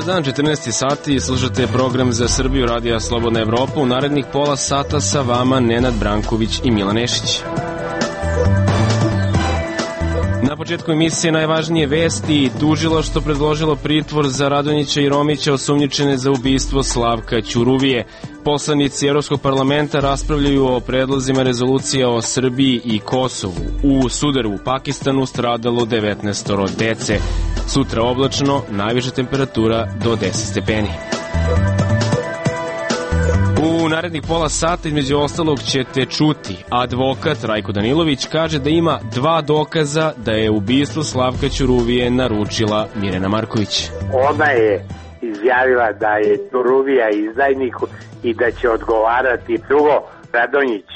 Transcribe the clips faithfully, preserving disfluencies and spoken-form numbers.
Dan, četrnaest sati, slušate program Za Srbiju Radija Slobodna Evropa. U narednih pola sata sa vama Nenad Branković i Milan Nešić. Na početku emisije najvažnije vesti. Tužilaštvo predložilo pritvor za Radonjića i Romića osumnjičene za ubistvo Slavka Ćuruvije. Poslanici Evropskog parlamenta raspravljaju o predlozima rezolucija o Srbiji i Kosovu. U sudaru u Pakistanu stradalo devetnaest dece. Sutra oblačno, najviša temperatura do deset stepeni. U narednih pola sata između ostalog ćete čuti. Advokat Rajko Danilović kaže da ima dva dokaza da je ubistvo Slavka Ćuruvije naručila Mirjana Marković. Ona je izjavila da je Ćuruvija izdajnik i da će odgovarati. Drugo, Radonjić.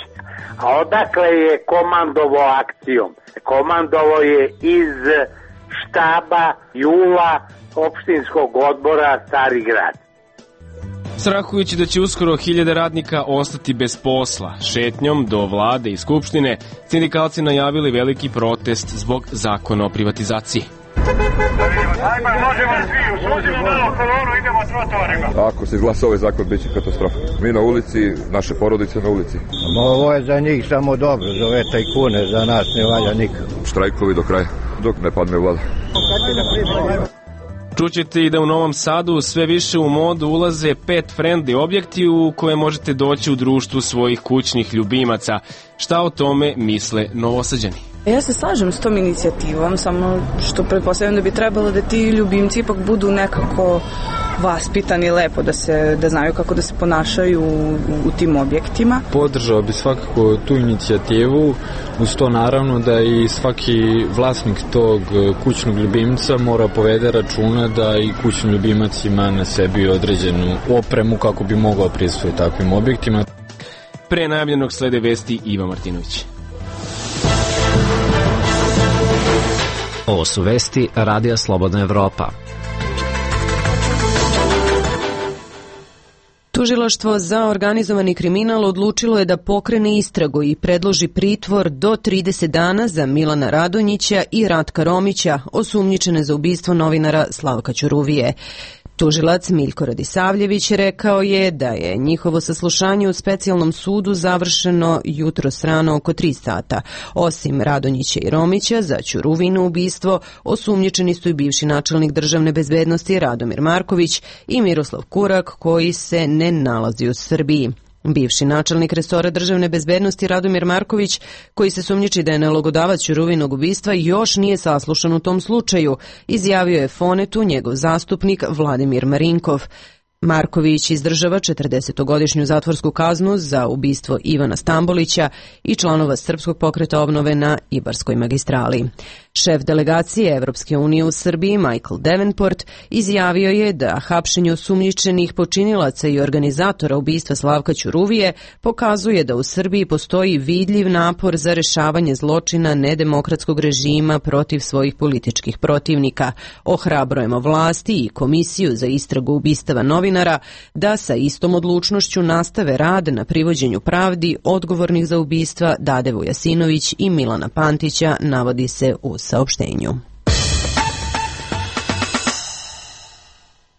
A odakle je komandovo akcijom? Komandovo je iz štaba Jula opštinskog odbora Stari Grad. Strahujući da će uskoro hiljade radnika ostati bez posla, šetnjom do vlade i skupštine, sindikalci najavili veliki protest zbog zakona o privatizaciji. Ajmo, možemo svi, uslužimo malo kolonu, idemo trotoarima. Ako se izglasa ovaj zakon, bit će katastrofa. Mi na ulici, naše porodice na ulici. Ovo je za njih samo dobro, za ove tajkune, za nas ne valja nikako. Štrajkovi do kraja, dok ne padne vlada. Čućete i da u Novom Sadu sve više u modu ulaze pet friendly objekti u koje možete doći u društvu svojih kućnih ljubimaca. Šta o tome misle Novosađani? Ja se slažem s tom inicijativom, samo što pretpostavljam da bi trebalo da ti ljubimci ipak budu nekako vaspitani lepo, da se da znaju kako da se ponašaju u, u tim objektima. Podržao bi svakako tu inicijativu, uz to naravno da i svaki vlasnik tog kućnog ljubimca mora povede računa da i kućni ljubimac ima na sebi određenu opremu kako bi mogao prisustvovati takvim objektima. Pre najavljenog slede vesti Iva Martinović. Ovo su vesti Radija Slobodna Evropa. Tužilaštvo za organizovani kriminal odlučilo je da pokrene istragu i predloži pritvor do trideset dana za Milana Radonjića i Ratka Romića, osumnjičene za ubistvo novinara Slavka Ćuruvije. Tužilac Miljko Radisavljević rekao je da je njihovo saslušanje u specijalnom sudu završeno jutros rano oko tri sata. Osim Radonjića i Romića, za Ćuruvino ubistvo osumnjičeni su i bivši načelnik državne bezbednosti Radomir Marković i Miroslav Kurak, koji se ne nalazi u Srbiji. Bivši načelnik resora državne bezbednosti Radomir Marković, koji se sumnjiči da je nalogodavac Ćuruvinog ubistva, još nije saslušan u tom slučaju, izjavio je Fonetu njegov zastupnik Vladimir Marinkov. Marković izdržava četrdesetogodišnju zatvorsku kaznu za ubistvo Ivana Stambolića i članova Srpskog pokreta obnove na Ibarskoj magistrali. Šef delegacije Evropske unije u Srbiji Michael Davenport izjavio je da hapšenje osumnjičenih počinilaca i organizatora ubistva Slavka Ćuruvije pokazuje da u Srbiji postoji vidljiv napor za rešavanje zločina nedemokratskog režima protiv svojih političkih protivnika. Ohrabrujemo vlasti i Komisiju za istragu ubistava novinara da sa istom odlučnošću nastave rad na privođenju pravdi odgovornih za ubistva Dade Vujasinović i Milana Pantića, navodi se u saopštenju.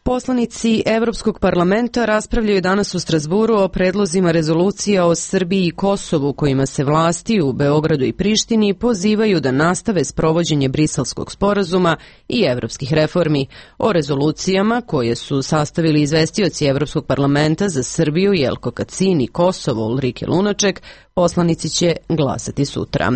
Poslanici Evropskog parlamenta raspravljaju danas u Strazburu o predlozima rezolucija o Srbiji i Kosovu, kojima se vlasti u Beogradu i Prištini pozivaju da nastave sprovođenje Briselskog sporazuma i evropskih reformi. O rezolucijama, koje su sastavili izvestioci Evropskog parlamenta za Srbiju Jelko Kacin i Kosovo Ulrike Lunaček, poslanici će glasati sutra.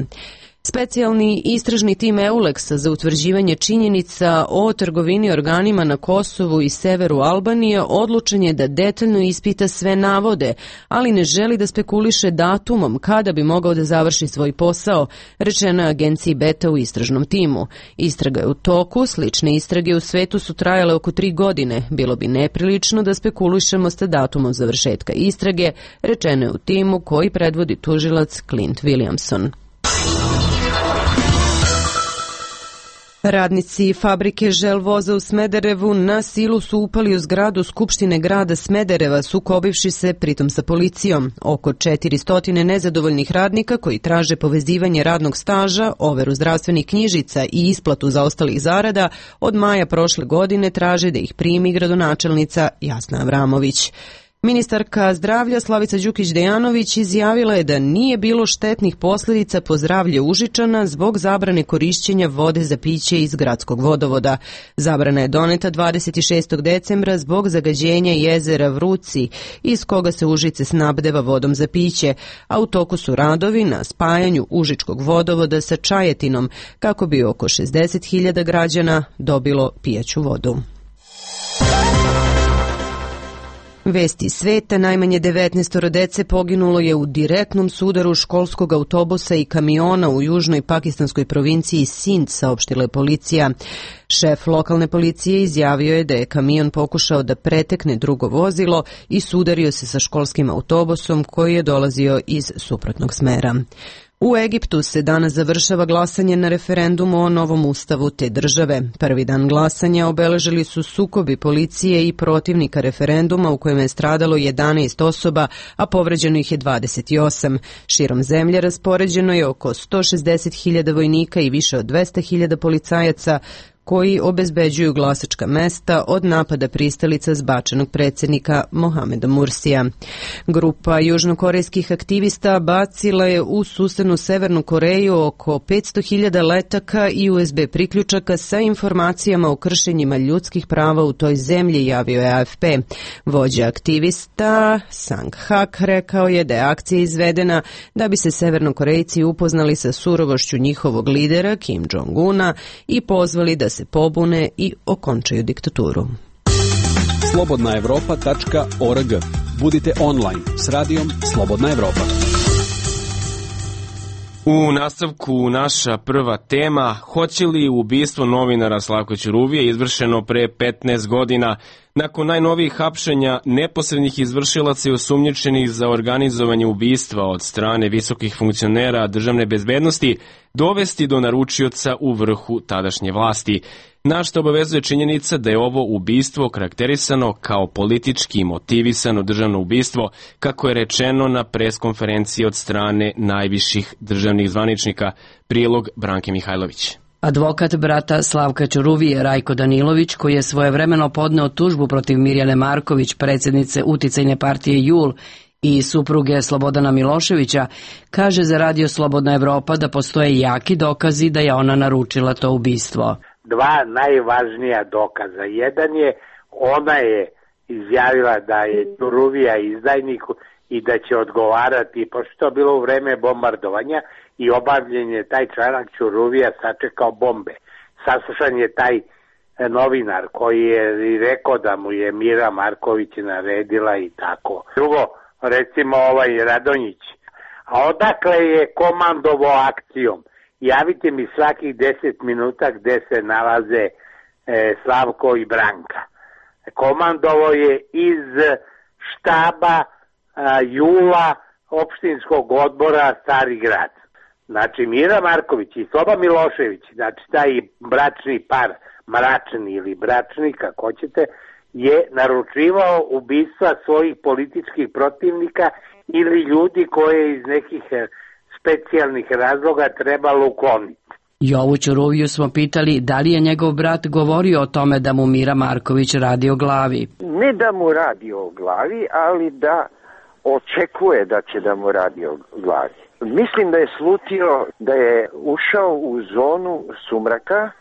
Specijalni istražni tim Euleksa za utvrđivanje činjenica o trgovini organima na Kosovu i severu Albanije odlučen je da detaljno ispita sve navode, ali ne želi da spekuliše datumom kada bi mogao da završi svoj posao, rečeno je agenciji Beta u istražnom timu. Istraga je u toku, slične istrage u svetu su trajale oko tri godine. Bilo bi neprilično da spekulišemo sa datumom završetka istrage, rečeno je u timu koji predvodi tužilac Clint Williamson. Radnici fabrike Želvoza u Smederevu na silu su upali u zgradu Skupštine grada Smedereva, sukobivši se pritom sa policijom. Oko četiristo nezadovoljnih radnika koji traže povezivanje radnog staža, overu zdravstvenih knjižica i isplatu zaostalih zarada od maja prošle godine traže da ih primi gradonačelnica Jasna Avramović. Ministarka zdravlja Slavica Đukić-Dejanović izjavila je da nije bilo štetnih posljedica po zdravlje Užičana zbog zabrane korišćenja vode za piće iz gradskog vodovoda. Zabrana je doneta dvadeset šestog decembra zbog zagađenja jezera Vruci, iz koga se Užice snabdeva vodom za piće, a u toku su radovi na spajanju Užičkog vodovoda sa Čajetinom, kako bi oko šezdeset hiljada građana dobilo pijaću vodu. Vesti sveta, najmanje devetnaest dece poginulo je u direktnom sudaru školskog autobusa i kamiona u južnoj pakistanskoj provinciji Sind, saopštila je policija. Šef lokalne policije izjavio je da je kamion pokušao da pretekne drugo vozilo i sudario se sa školskim autobusom koji je dolazio iz suprotnog smera. U Egiptu se danas završava glasanje na referendumu o novom ustavu te države. Prvi dan glasanja obeležili su sukobi policije i protivnika referenduma u kojem je stradalo jedanaest osoba, a povređeno ih je dvadeset osam. Širom zemlje raspoređeno je oko sto šezdeset hiljada vojnika i više od dvesta hiljada policajaca koji obezbeđuju glasačka mesta od napada pristalica zbačenog predsjednika Mohameda Mursija. Grupa južnokorejskih aktivista bacila je u susednu Severnu Koreju oko petsto hiljada letaka i U S B priključaka sa informacijama o kršenjima ljudskih prava u toj zemlji, javio je A F P. Vođa aktivista Sang Hak rekao je da je akcija izvedena da bi se Severnokorejci upoznali sa surovošću njihovog lidera Kim Jong-una i pozvali da se pobune i okončaju diktaturu. slobodna evropa tačka org. Budite online s radijom Slobodna Evropa. U nastavku naša prva tema, hoće li ubistvo novinara Slavka Ćuruvije izvršeno pre petnaest godina, nakon najnovijih hapšenja neposrednih izvršilaca i osumnjičenih za organizovanje ubistva od strane visokih funkcionera državne bezbednosti, dovesti do naručioca u vrhu tadašnje vlasti. Na što obavezuje činjenica da je ovo ubistvo karakterisano kao politički motivisano državno ubistvo, kako je rečeno na preskonferenciji od strane najviših državnih zvaničnika. Prilog Branke Mihajlović. Advokat brata Slavka Ćuruvije Rajko Danilović, koji je svojevremeno podneo tužbu protiv Mirjane Marković, predsjednice uticajne partije JUL, i supruge Slobodana Miloševića, kaže za Radio Slobodna Evropa da postoje jaki dokazi da je ona naručila to ubistvo. Dva najvažnija dokaza. Jedan je, ona je izjavila da je Ćuruvija izdajnik i da će odgovarati, pošto je bilo u vreme bombardovanja i obavljen je taj članak Ćuruvija sačekao bombe. Saslušan je taj novinar koji je i rekao da mu je Mira Marković naredila i tako. Drugo, recimo ovaj Radonjić. A odakle je komandovo akcijom? Javite mi svakih deset minuta gde se nalaze e, Slavko i Branka. Komandovo je iz štaba a, Jula opštinskog odbora Stari grad. Znači Mira Marković i Sloba Milošević, znači taj bračni par, mračni ili bračni, kako hoćete, je naručivao ubistva svojih političkih protivnika ili ljudi koje iz nekih specijalnih razloga trebalo ukloniti. Jovu Ćuruviju smo pitali da li je njegov brat govorio o tome da mu Mira Marković radi o glavi. Ne da mu radi o glavi, ali da očekuje da će da mu radi o glavi. Mislim da je slutio da je ušao u zonu sumraka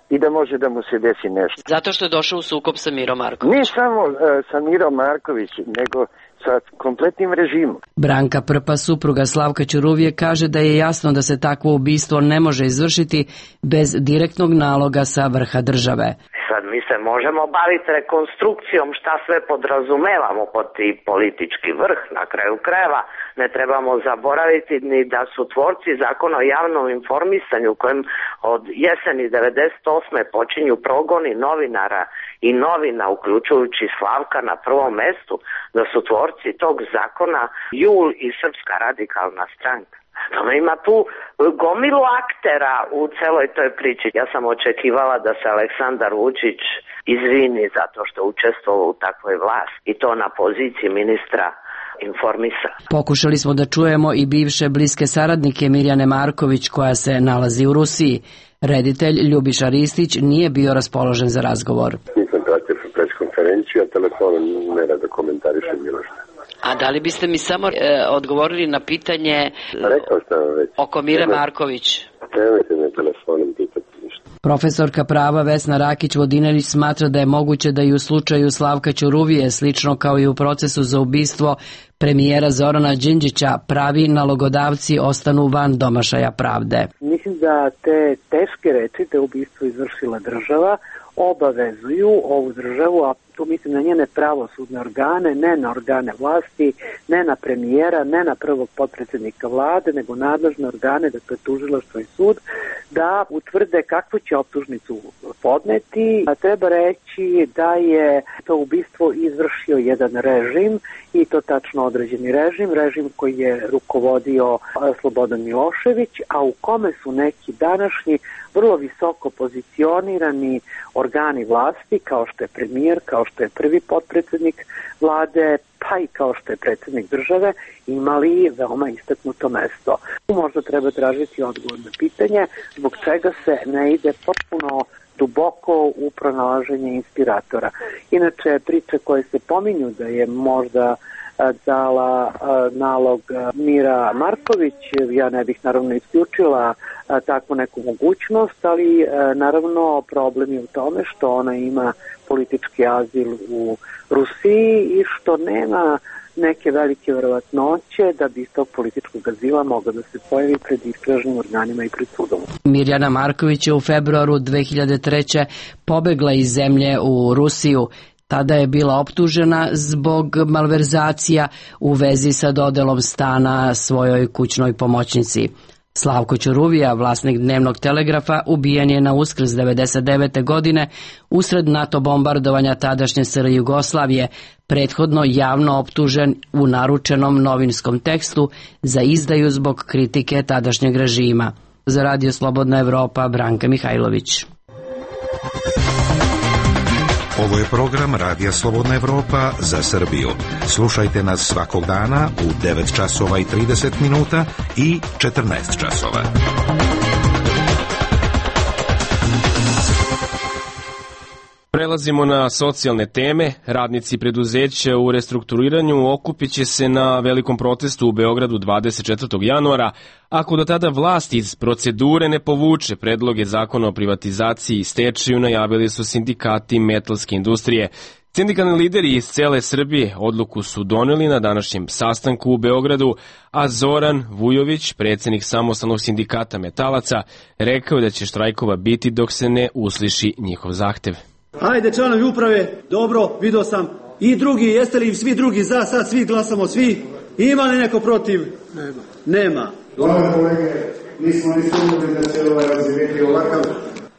i da može da mu se desi nešto. Zato što je došao u sukob sa Mirom Markovićem. Ne samo uh, sa Mirom Marković, nego sa kompletnim režimom. Branka Prpa, supruga Slavka Ćuruvije, kaže da je jasno da se takvo ubistvo ne može izvršiti bez direktnog naloga sa vrha države. Sad mi se možemo baviti rekonstrukcijom šta sve podrazumevamo pod ti politički vrh. Na kraju krajeva ne trebamo zaboraviti ni da su tvorci zakona o javnom informisanju u kojem od jeseni devedeset osme počinju progoni novinara i novina, uključujući Slavka na prvom mestu, da su tvorci tog zakona JUL i Srpska radikalna stranka. Samo ima tu gomilu aktera u celoj toj priči. Ja sam očekivala da se Aleksandar Vučić izvini zato što učestvovao u takvoj vlasti i to na poziciji ministra informisa. Pokušali smo da čujemo i bivše bliske saradnike Mirjane Marković koja se nalazi u Rusiji. Reditelj Ljubiša Ristić nije bio raspoložen za razgovor. Nisam pratio preskonferenciju, a telefonom ne rada komentarišem bilo što. A da li biste mi samo e, odgovorili na pitanje Rekao sam već. oko Mire Marković? Nemojte me telefonom pitati ništa. Profesorka prava Vesna Rakić-Vodinelić smatra da je moguće da i u slučaju Slavka Ćuruvije, slično kao i u procesu za ubistvo premijera Zorana Đinđića, pravi nalogodavci ostanu van domašaja pravde. Mislim da te teške reči, te ubistvo izvršila država, obavezuju ovu državu, a tu mislim na njene pravosudne organe, ne na organe vlasti, ne na premijera, ne na prvog potpredsjednika vlade, nego nadležne organe, dakle tužilaštvo i sud, da utvrde kakvu će optužnicu podneti. A treba reći da je to ubistvo izvršio jedan režim, i to tačno određeni režim, režim koji je rukovodio Slobodan Milošević, a u kome su neki današnji vrlo visoko pozicionirani organi vlasti, kao što je premijer, kao što je prvi potpredsjednik vlade, pa i kao što je predsjednik države, imali veoma istaknuto mesto. Možda treba tražiti odgovor na pitanje zbog čega se ne ide potpuno duboko u pronalaženje inspiratora. Inače, priče koje se pominju da je možda dala nalog Mira Marković, ja ne bih naravno isključila takvu neku mogućnost, ali naravno problem je u tome što ona ima politički azil u Rusiji i što nema neke velike verovatnoće da bi iz tog političkog azila mogla da se pojavi pred istražnim organima i pred sudom. Mirjana Marković je u februaru dve hiljade treće. pobegla iz zemlje u Rusiju. Tada je bila optužena zbog malverzacija u vezi sa dodelom stana svojoj kućnoj pomoćnici. Slavko Ćuruvija, vlasnik Dnevnog telegrafa, ubijen je na Uskrs devedeset devete. godine usred NATO bombardovanja tadašnje S R Jugoslavije, prethodno javno optužen u naručenom novinskom tekstu za izdaju zbog kritike tadašnjeg režima. Za Radio Slobodna Evropa, Branka Mihajlović. Ovo je program Radija Slobodna Evropa za Srbiju. Slušajte nas svakog dana u devet časova i trideset minuta i četrnaest časova. Prelazimo na socijalne teme. Radnici preduzeća u restrukturiranju okupit će se na velikom protestu u Beogradu dvadeset četvrtog januara. Ako do tada vlast iz procedure ne povuče predloge zakona o privatizaciji i stečaju, najavili su sindikati metalske industrije. Sindikalni lideri iz cele Srbije odluku su doneli na današnjem sastanku u Beogradu, a Zoran Vujović, predsjednik samostalnog sindikata metalaca, rekao da će štrajkova biti dok se ne usliši njihov zahtev. Ajde članovi uprave, dobro, vidio sam. I drugi, jeste li svi drugi za, sad svi glasamo, svi? Ima li neko protiv? Nema. Nema. Dobro kolege, nismo ni sumnjali da će ovaj razvijeti ovakav.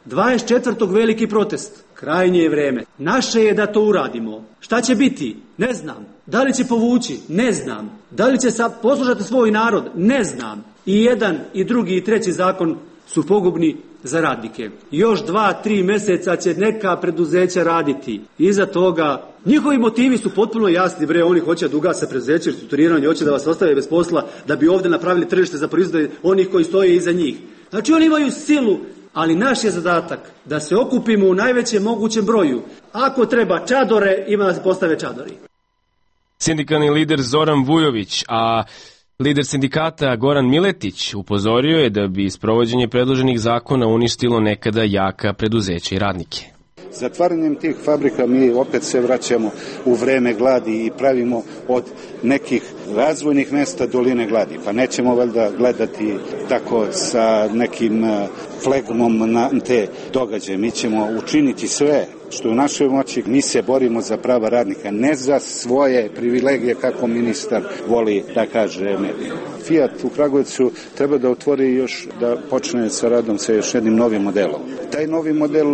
dvadeset četvrtog veliki protest. Krajnje je vreme. Naše je da to uradimo. Šta će biti? Ne znam. Da li će povući? Ne znam. Da li će poslušati svoj narod? Ne znam. I jedan, i drugi, i treći zakon su pogubni za radnike. Još dva, tri mjeseca će neka preduzeća raditi. Iza toga, njihovi motivi su potpuno jasni, bre, oni hoće da ugase preduzeće, restrukturiranje, hoće da vas ostave bez posla, da bi ovdje napravili tržište za proizvode onih koji stoje iza njih. Znači oni imaju silu, ali naš je zadatak da se okupimo u najvećem mogućem broju. Ako treba čadore, ima da se postave čadori. Sindikalni lider Zoran Vujović, a lider sindikata Goran Miletić upozorio je da bi sprovođenje predloženih zakona uništilo nekada jaka preduzeća i radnike. Zatvaranjem tih fabrika mi opet se vraćamo u vreme gladi i pravimo od nekih razvojnih mesta doline gladi. Pa nećemo valjda gledati tako sa nekim flegmom na te događaje. Mi ćemo učiniti sve što je u našoj moći. Mi se borimo za prava radnika, ne za svoje privilegije kako ministar voli da kaže medijima. Fiat u Kragujevcu treba da otvori još, da počne sa radom sa još jednim novim modelom. Taj novi model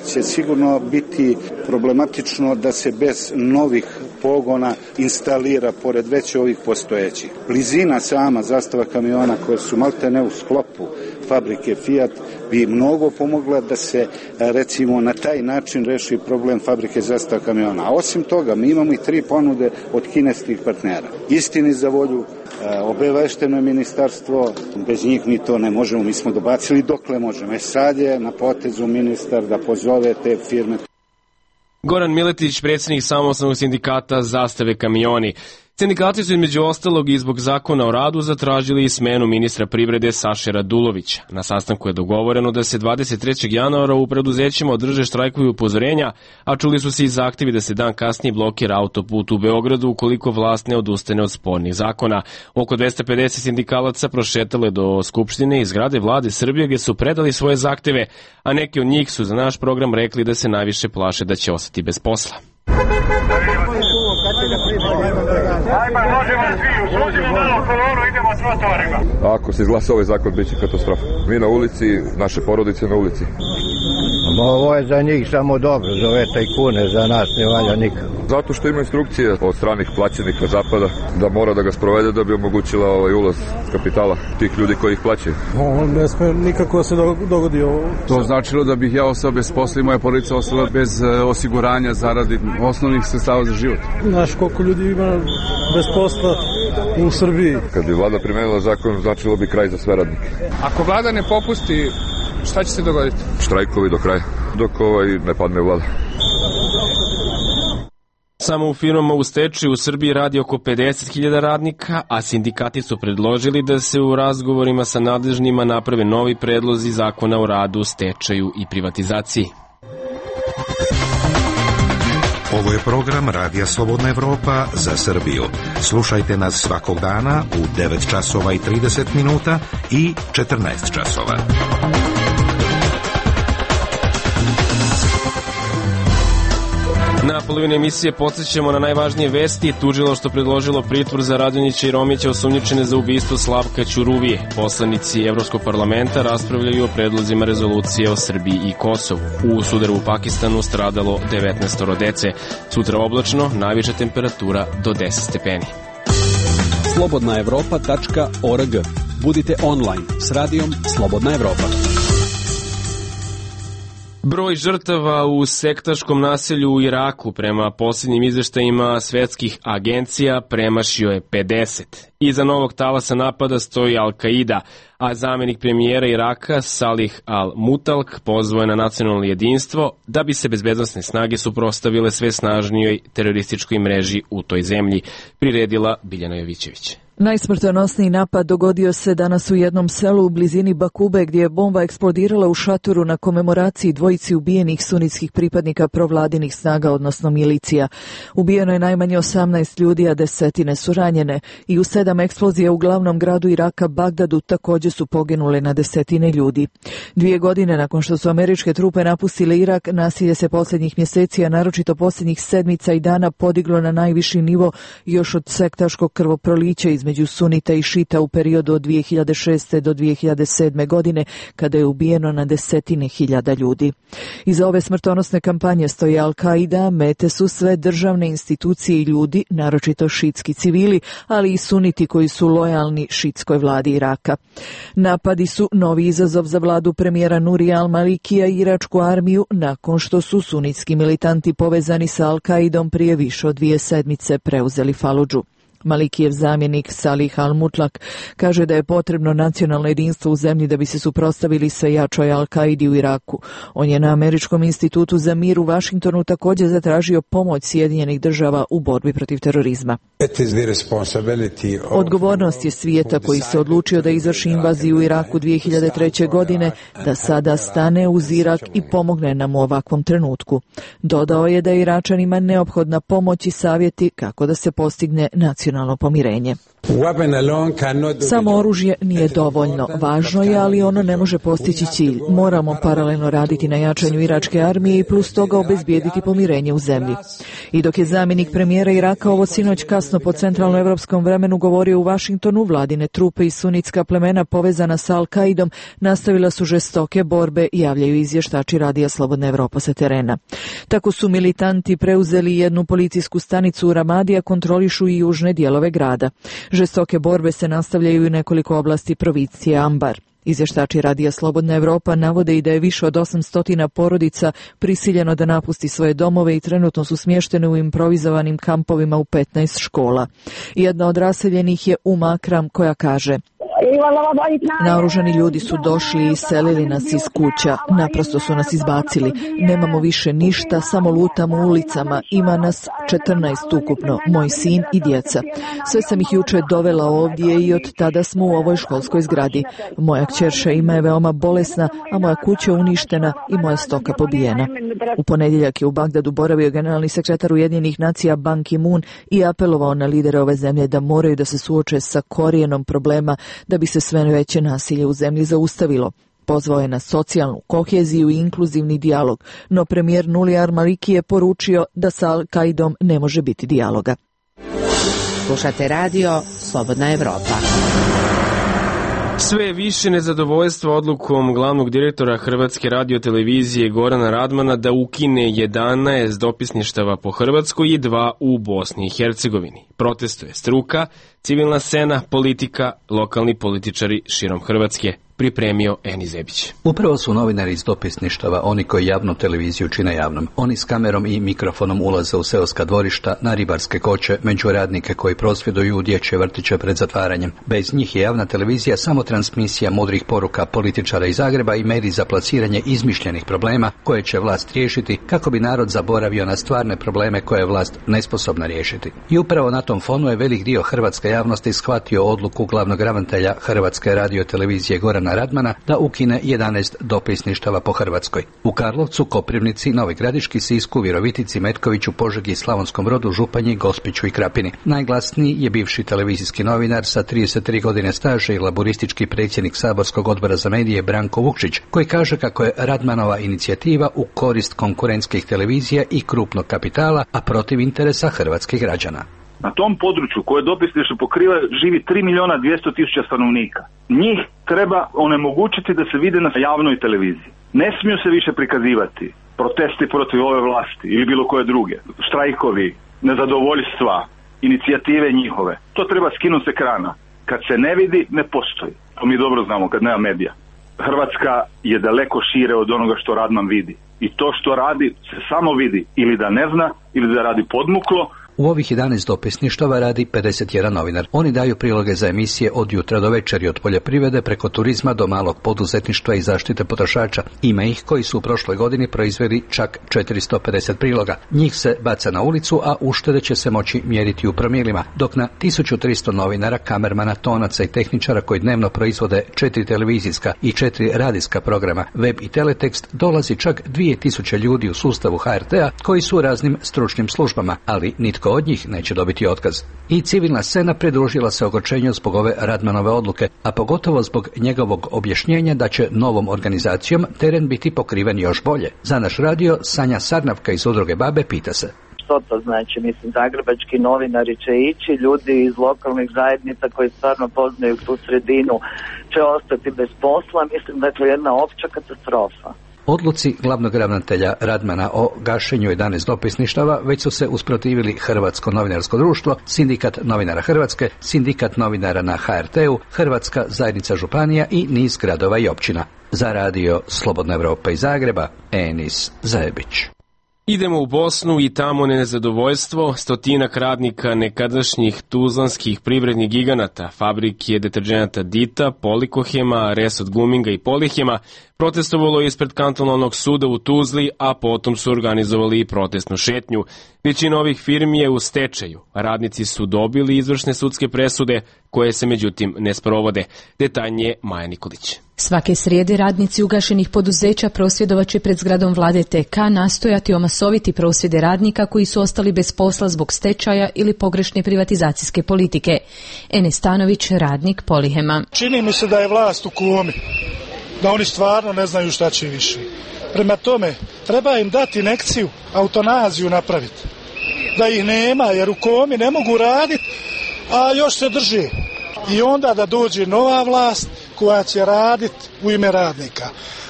će sigurno biti problematično da se bez novih pogona instalira pored već ovih postojećih. Blizina sama zastava kamiona koje su maltene u sklopu fabrike Fiat bi mnogo pomogla da se recimo na taj način reši problem fabrike zastava kamiona. A osim toga mi imamo i tri ponude od kineskih partnera. Istini za volju, obavešteno je ministarstvo, bez njih mi to ne možemo, mi smo dobacili dokle možemo. E sad je na potezu ministar da pozove te firme. Goran Miletić, predsjednik samostalnog sindikata Zastave kamioni. Sindikati su između ostalog i zbog zakona o radu zatražili i smenu ministra privrede Saše Radulovića. Na sastanku je dogovoreno da se dvadeset trećeg januara u preduzećima održe štrajkovi upozorenja, a čuli su se i zahtevi da se dan kasnije blokira autoput u Beogradu ukoliko vlast ne odustane od spornih zakona. Oko dvesta pedeset sindikalaca prošetalo je do Skupštine i zgrade vlade Srbije gdje su predali svoje zahteve, a neki od njih su za naš program rekli da se najviše plaše da će ostati bez posla. Ajma, možemo svi, uslužimo malo kolonu, idemo s motorima. Ako se izglasa ovaj zakon, bit će katastrofa. Mi na ulici, naše porodice na ulici. Ovo je za njih samo dobro, za ove tajkune, za nas ne valja nikako. Zato što ima instrukcije od stranih plaćenika zapada da mora da ga sprovede da bi omogućila ovaj ulaz kapitala tih ljudi koji ih plaćaju. On ne sme nikako da se dogodi ovo. To značilo da bih ja ostao bez posla i moja porodica ostala bez osiguranja zaradi osnovnih sredstava za život. Znaš koliko ljudi ima bez posla u Srbiji. Kad bi vlada primenila zakon, značilo bi kraj za sve radnike. Ako vlada ne popusti, šta će se dogoditi? Štrajkovi do kraja, dok ovaj ne padne vlada. Samo u firmama u stečaju u Srbiji radi oko pedeset hiljada radnika, a sindikati su predložili da se u razgovorima sa nadležnima naprave novi predlozi zakona o radu, stečaju i privatizaciji. Ovo je program Radija Slobodna Evropa za Srbiju. Slušajte nas svakog dana u devet časova i trideset minuta i četrnaest časova. Na polovini emisije podsjećamo na najvažnije vesti. Tužilaštvo predložilo pritvor za Radonjića i Romića osumnjičene za ubistvo Slavka Ćuruvije. Poslanici Evropskog parlamenta raspravljaju o predlozima rezolucije o Srbiji i Kosovu. U sudaru u Pakistanu stradalo devetnaest dece. Sutra oblačno, najviša temperatura do deset stepeni. slobodna evropa tačka org. Budite online s radijom Slobodna Evropa. Broj žrtava u sektaškom naselju u Iraku prema posljednjim izveštajima svetskih agencija premašio je pedeset. Iza novog talasa napada stoji Al-Qaida, a zamjenik premijera Iraka Salih al-Mutalk pozvao je na nacionalno jedinstvo da bi se bezbednosne snage suprotstavile sve snažnijoj terorističkoj mreži u toj zemlji, priredila Biljana Jovićević. Najsmrtonosniji napad dogodio se danas u jednom selu u blizini Bakube gdje je bomba eksplodirala u šatoru na komemoraciji dvojici ubijenih sunitskih pripadnika provladinih snaga, odnosno milicija. Ubijeno je najmanje osamnaest ljudi, a desetine su ranjene i u sedam eksplozija u glavnom gradu Iraka, Bagdadu, također su poginule na desetine ljudi. Dvije godine nakon što su američke trupe napustile Irak, nasilje se posljednjih mjeseci, a naročito posljednjih sedmica i dana podiglo na najviši nivo još od sektaškog krvoprolića između sunita i šita u periodu od dvije hiljade šeste do dvije hiljade sedme godine, kada je ubijeno na desetine hiljada ljudi. Iza ove smrtonosne kampanje stoji Al-Qaida, mete su sve državne institucije i ljudi, naročito šitski civili, ali i suniti koji su lojalni šitskoj vladi Iraka. Napadi su novi izazov za vladu premijera Nurija al-Malikija i iračku armiju nakon što su sunitski militanti povezani sa Al-Qaidom prije više od dvije sedmice preuzeli Faludžu. Malikijev zamjenik Salih al-Mutlak kaže da je potrebno nacionalno jedinstvo u zemlji da bi se suprotstavili sve jačoj Al-Qaidi u Iraku. On je na Američkom institutu za mir u Vašingtonu također zatražio pomoć Sjedinjenih država u borbi protiv terorizma. Odgovornost je svijeta koji se odlučio da izvrši invaziju u Iraku dvije hiljade treće. godine, da sada stane uz Irak i pomogne nam u ovakvom trenutku. Dodao je da je Iračanima neophodna pomoć i savjeti kako da se postigne nacionalno nacionalno pomirenje. Samo oružje nije dovoljno. Važno je, ali ono ne može postići cilj. Moramo paralelno raditi na jačanju iračke armije i plus toga obezbijediti pomirenje u zemlji. I dok je zamjenik premijera Iraka ovo sinoć kasno po centralnoevropskom vremenu govorio u Vašingtonu, vladine trupe i sunitska plemena povezana sa Al-Kaidom nastavila su žestoke borbe, javljaju izvještači Radija Slobodna Evropa sa terena. Tako su militanti preuzeli jednu policijsku stanicu u Ramadi, a kontrolišu i južne dijelove grada. Žestoke borbe se nastavljaju i u nekoliko oblasti provincije Ambar. Izvještači Radija Slobodna Evropa navode i da je više od osamsto porodica prisiljeno da napusti svoje domove i trenutno su smještene u improvizovanim kampovima u petnaest škola. Jedna od raseljenih je Uma Akram koja kaže: naoružani ljudi su došli i iselili nas iz kuća, naprosto su nas izbacili. Nemamo više ništa, samo lutamo ulicama, ima nas četrnaest ukupno, moj sin i djeca. Sve sam ih juče dovela ovdje i od tada smo u ovoj školskoj zgradi. Moja kćerša ima je veoma bolesna, a moja kuća uništena i moja stoka pobijena. U ponedjeljak je u Bagdadu boravio generalni sekretar Ujedinjenih nacija Ban Ki-moon i apelovao na lidere ove zemlje da moraju da se suoče sa korijenom problema da bi se sve veće nasilje u zemlji zaustavilo. Pozvao je na socijalnu koheziju i inkluzivni dijalog, no premijer Nuli al-Maliki je poručio da sa Al-Kaidom ne može biti dijaloga. Slušate radio Slobodna Evropa. Sve više nezadovoljstva odlukom glavnog direktora Hrvatske radiotelevizije Gorana Radmana da ukine jedanaest dopisništava po Hrvatskoj i dva u Bosni i Hercegovini. Protestuje struka, civilna scena, politika, lokalni političari širom Hrvatske. Pripremio Eni Zebić. Upravo su novinari iz dopisništava oni koji javnu televiziju čine javnom. Oni s kamerom i mikrofonom ulaze u seoska dvorišta, na ribarske koče, među radnike koji prosvjeduju u dječje vrtiće pred zatvaranjem. Bez njih je javna televizija samo transmisija mudrih poruka političara iz Zagreba i medij za plasiranje izmišljenih problema koje će vlast riješiti kako bi narod zaboravio na stvarne probleme koje je vlast nesposobna riješiti. I upravo na tom fonu je velik dio hrvatske javnosti shvatio odluku glavnog ravnatelja Hrvatske radiotelevizije Gorana Radmana da ukine jedanaest dopisništava po Hrvatskoj. U Karlovcu, Koprivnici, Novoj Gradiški, Sisku, Virovitici, Metkoviću, Požegi, Slavonskom Brodu, Županji, Gospiću i Krapini. Najglasniji je bivši televizijski novinar sa trideset tri godine staža i laburistički predsjednik Saborskog odbora za medije Branko Vukšić, koji kaže kako je Radmanova inicijativa u korist konkurentskih televizija i krupnog kapitala, a protiv interesa hrvatskih građana. Na tom području koje dopisništvo pokriva živi tri milijuna dvjesto tisuća stanovnika. Njih treba onemogućiti da se vide na javnoj televiziji. Ne smiju se više prikazivati protesti protiv ove vlasti ili bilo koje druge, štrajkovi, nezadovoljstva, inicijative njihove. To treba skinuti s ekrana. Kad se ne vidi, ne postoji. To mi dobro znamo kad nema medija. Hrvatska je daleko šire od onoga što Radman vidi. I to što radi se samo vidi ili da ne zna ili da radi podmuklo. U ovih jedanaest dopisništava radi pedeset jedan novinar. Oni daju priloge za emisije od jutra do večeri, od poljoprivrede preko turizma do malog poduzetništva i zaštite potrošača. Ima ih koji su u prošloj godini proizveli čak četiristo pedeset priloga. Njih se baca na ulicu, a uštede će se moći mjeriti u promilima, dok na tisuću tristo novinara, kamermana, tonaca i tehničara koji dnevno proizvode četiri televizijska i četiri radijska programa, web i teletekst, dolazi čak dvije tisuće ljudi u sustavu H R T-a koji su u raznim stručnim službama, ali nitko od njih neće dobiti otkaz. I civilna scena pridružila se ogorčenju zbog ove Radmanove odluke, a pogotovo zbog njegovog objašnjenja da će novom organizacijom teren biti pokriven još bolje. Za naš radio Sanja Sarnavka iz udruge Babe pita se: što to znači? Mislim, zagrebački novinari će ići, ljudi iz lokalnih zajednica koji stvarno poznaju tu sredinu će ostati bez posla. Mislim da je to jedna opća katastrofa. Odluci glavnog ravnatelja Radmana o gašenju jedanaest dopisništava već su se usprotivili Hrvatsko novinarsko društvo, Sindikat novinara Hrvatske, Sindikat novinara na H R T-u, Hrvatska zajednica županija i niz gradova i općina. Za radio Slobodna Evropa iz Zagreba, Enis Zajebić. Idemo u Bosnu i tamo nezadovoljstvo stotinak radnika nekadašnjih tuzlanskih privrednih giganata, fabrike deterđenata Dita, Polikohema, Resot Guminga i Polihema protestovalo je ispred kantonalnog suda u Tuzli, a potom su organizovali i protestnu šetnju. Većina ovih firmi je u stečaju. Radnici su dobili izvršne sudske presude, koje se međutim ne sprovode. Detaljnije Maja Nikolić. Svake srijede radnici ugašenih poduzeća prosvjedovaće pred zgradom vlade T K nastojati omasoviti prosvjede radnika koji su ostali bez posla zbog stečaja ili pogrešne privatizacijske politike. Enes Stanović, radnik Polihema. Čini mi se da je vlast u komi, da oni stvarno ne znaju šta će više. Prema tome, treba im dati injekciju, autonaziju napraviti. Da ih nema, jer u komi ne mogu raditi, a još se drži. I onda da dođe nova vlast koja će raditi u ime radnika.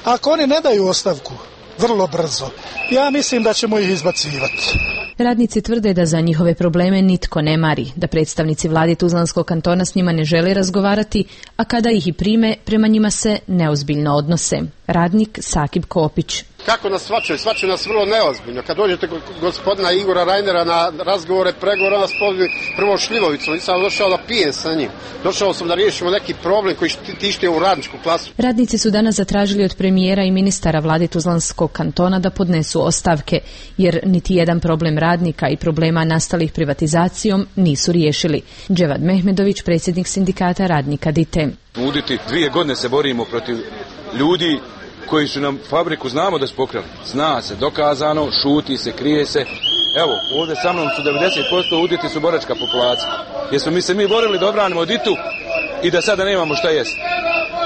Ako oni ne daju ostavku vrlo brzo, ja mislim da ćemo ih izbacivati. Radnici tvrde da za njihove probleme nitko ne mari, da predstavnici vlade Tuzlanskog kantona s njima ne žele razgovarati, a kada ih i prime, prema njima se neozbiljno odnose. Radnik Sakib Kopić. Kako nas svačaju? Svačaju nas vrlo neozbiljno. Kad dođete gospodina Igora Rajnera na razgovore, pregovore, nas pozvi prvo šljivovicu. Nisam došao da pijem sa njim. Došao sam da riješimo neki problem koji tište u radničku klasu. Radnici su danas zatražili od premijera i ministara vlade Tuzlanskog kantona da podnesu ostavke, jer niti jedan problem radnika i problema nastalih privatizacijom nisu riješili. Dževad Mehmedović, predsjednik sindikata radnika Dite. Uditi dvije godine se borimo protiv ljudi koji su nam fabriku znamo da su pokrali. Zna se, dokazano, šuti se, krije se. Evo, ovdje sa mnom su devedeset posto uditi su boračka populacija. Jer smo mi se mi borili da obranimo Ditu i da sada nemamo šta jesti.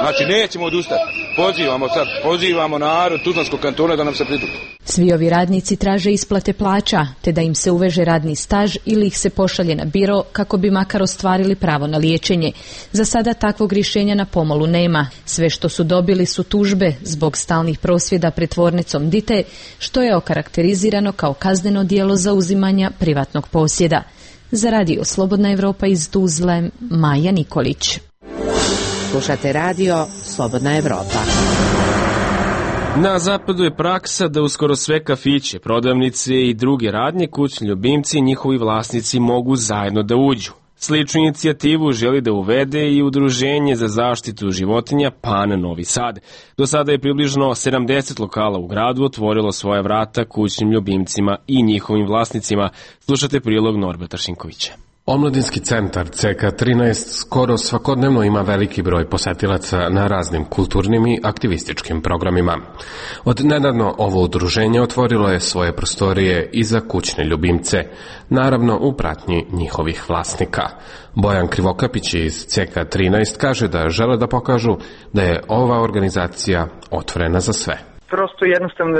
Znači, nećemo odustati. Pozivamo sad, pozivamo narod Tuzlanskog kantona da nam se pridruži. Svi ovi radnici traže isplate plaća, te da im se uveže radni staž ili ih se pošalje na biro kako bi makar ostvarili pravo na liječenje. Za sada takvog rješenja na pomolu nema. Sve što su dobili su tužbe zbog stalnih prosvjeda pred tvornicom Dite, što je okarakterizirano kao kazneno djelo zauzimanja privatnog posjeda. Za radio Slobodna Evropa iz Tuzle, Maja Nikolić. Slušate radio Slobodna Evropa. Na zapadu je praksa da uskoro sve kafiće, prodavnice i druge radnje, kućni ljubimci i njihovi vlasnici mogu zajedno da uđu. Sličnu inicijativu želi da uvede i Udruženje za zaštitu životinja Pan Novi Sad. Do sada je približno sedamdeset lokala u gradu otvorilo svoja vrata kućnim ljubimcima i njihovim vlasnicima. Slušate prilog Norberta Šinkovića. Omladinski centar C K trinaest skoro svakodnevno ima veliki broj posetilaca na raznim kulturnim i aktivističkim programima. Od nedavno ovo udruženje otvorilo je svoje prostorije i za kućne ljubimce, naravno u pratnji njihovih vlasnika. Bojan Krivokapić iz C K trinaest kaže da žele da pokažu da je ova organizacija otvorena za sve. Prosto jednostavno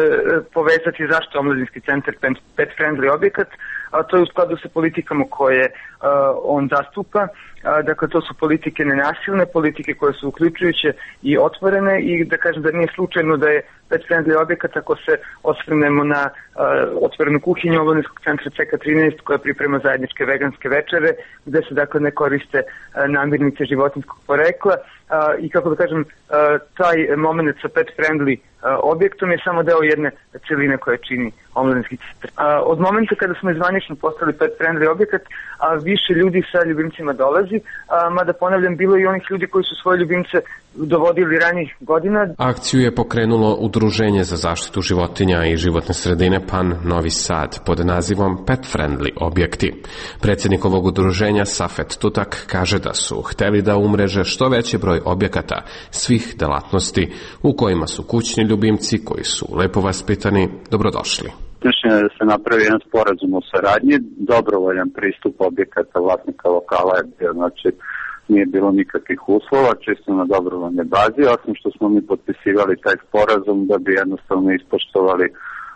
povezati zašto omladinski centar pet friendly objekat, a to je u skladu sa politikama koje uh, on zastupa. Uh, dakle, to su politike nenasilne, politike koje su uključujuće i otvorene i da kažem da nije slučajno da je pet friendly objekat ako se osvrnemo na uh, otvorenu kuhinju omladinskog centra C K trinaest koja priprema zajedničke veganske večere gde se dakle ne koriste uh, namirnice životinjskog porekla uh, i kako da kažem uh, taj moment sa pet friendly uh, objektom je samo deo jedne celine koja čini omladinski centar. Uh, od momenta kada smo izvanično postali pet friendly objekat, a više ljudi sa ljubimcima dolazi, a, mada ponavljam, bilo i onih ljudi koji su svoje ljubimce dovodili ranijih godina. Akciju je pokrenulo Udruženje za zaštitu životinja i životne sredine Pan Novi Sad pod nazivom Pet Friendly objekti. Predsjednik ovog udruženja Safet Tutak kaže da su hteli da umreže što veći broj objekata svih delatnosti u kojima su kućni ljubimci koji su lepo vaspitani dobrodošli. Mišljenje je da se napravi jedan sporazum o saradnji, dobrovoljan pristup objekata vlasnika lokala je bio, znači nije bilo nikakvih uslova, čisto na dobrovoljnoj bazi, osim što smo mi potpisivali taj sporazum da bi jednostavno ispoštovali,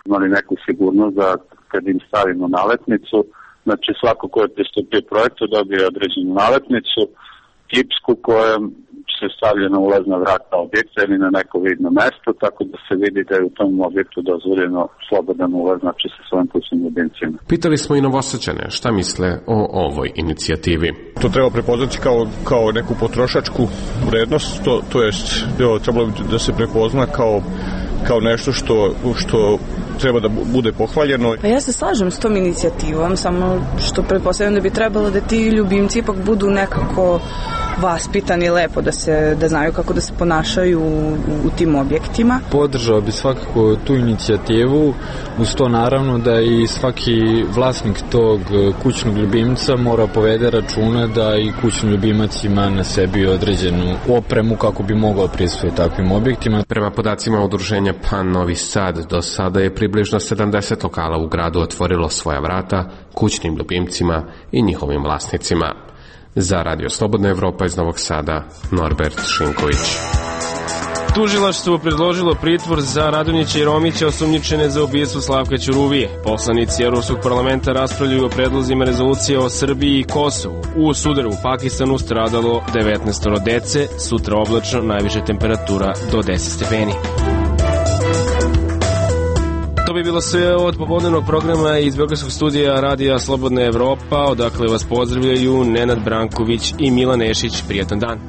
imali neku sigurnost da kad im stavimo naletnicu, znači svako ko je pristupio projektu dobije određenu naletnicu, kipsku kojom se stavlja na ulazna vrata objekta ili na neko vidno mesto, tako da se vidi da je u tom objektu dozvoljeno slobodan ulaz, znači sa svojim kućnim ljubimcima. Pitali smo i Novosađane šta misle o ovoj inicijativi. To treba prepoznati kao, kao neku potrošačku vrednost, to, to jest trebalo bi da se prepozna kao, kao nešto što, što treba da bude pohvaljeno. Pa ja se slažem s tom inicijativom, samo što pretpostavljam da bi trebalo da ti ljubimci ipak budu nekako vaspitani, lepo da se da znaju kako da se ponašaju u, u tim objektima. Podržao bi svakako tu inicijativu, uz to naravno da i svaki vlasnik tog kućnog ljubimca mora povede računa da i kućni ljubimac ima na sebi određenu opremu kako bi mogao prisustvovati takvim objektima. Prema podacima udruženja Pan Novi Sad, do sada je približno sedamdeset lokala u gradu otvorilo svoja vrata kućnim ljubimcima i njihovim vlasnicima. Za Radio Slobodna Evropa iz Novog Sada, Norbert Šinković. Tužilaštvo predložilo pritvor za Radonjića i Romića osumnjičene za ubistvo Slavka Ćuruvije. Poslanici Evropskog parlamenta raspravljaju o predlozima rezolucije o Srbiji i Kosovu. U sudaru u Pakistanu stradalo devetnaest dece, sutra oblačno, najviše temperatura do deset stepeni. To bi bilo sve od popodnevnog programa iz Beogradskog studija Radija Slobodna Evropa, odakle vas pozdravljaju Nenad Branković i Milan Nešić. Prijatan dan.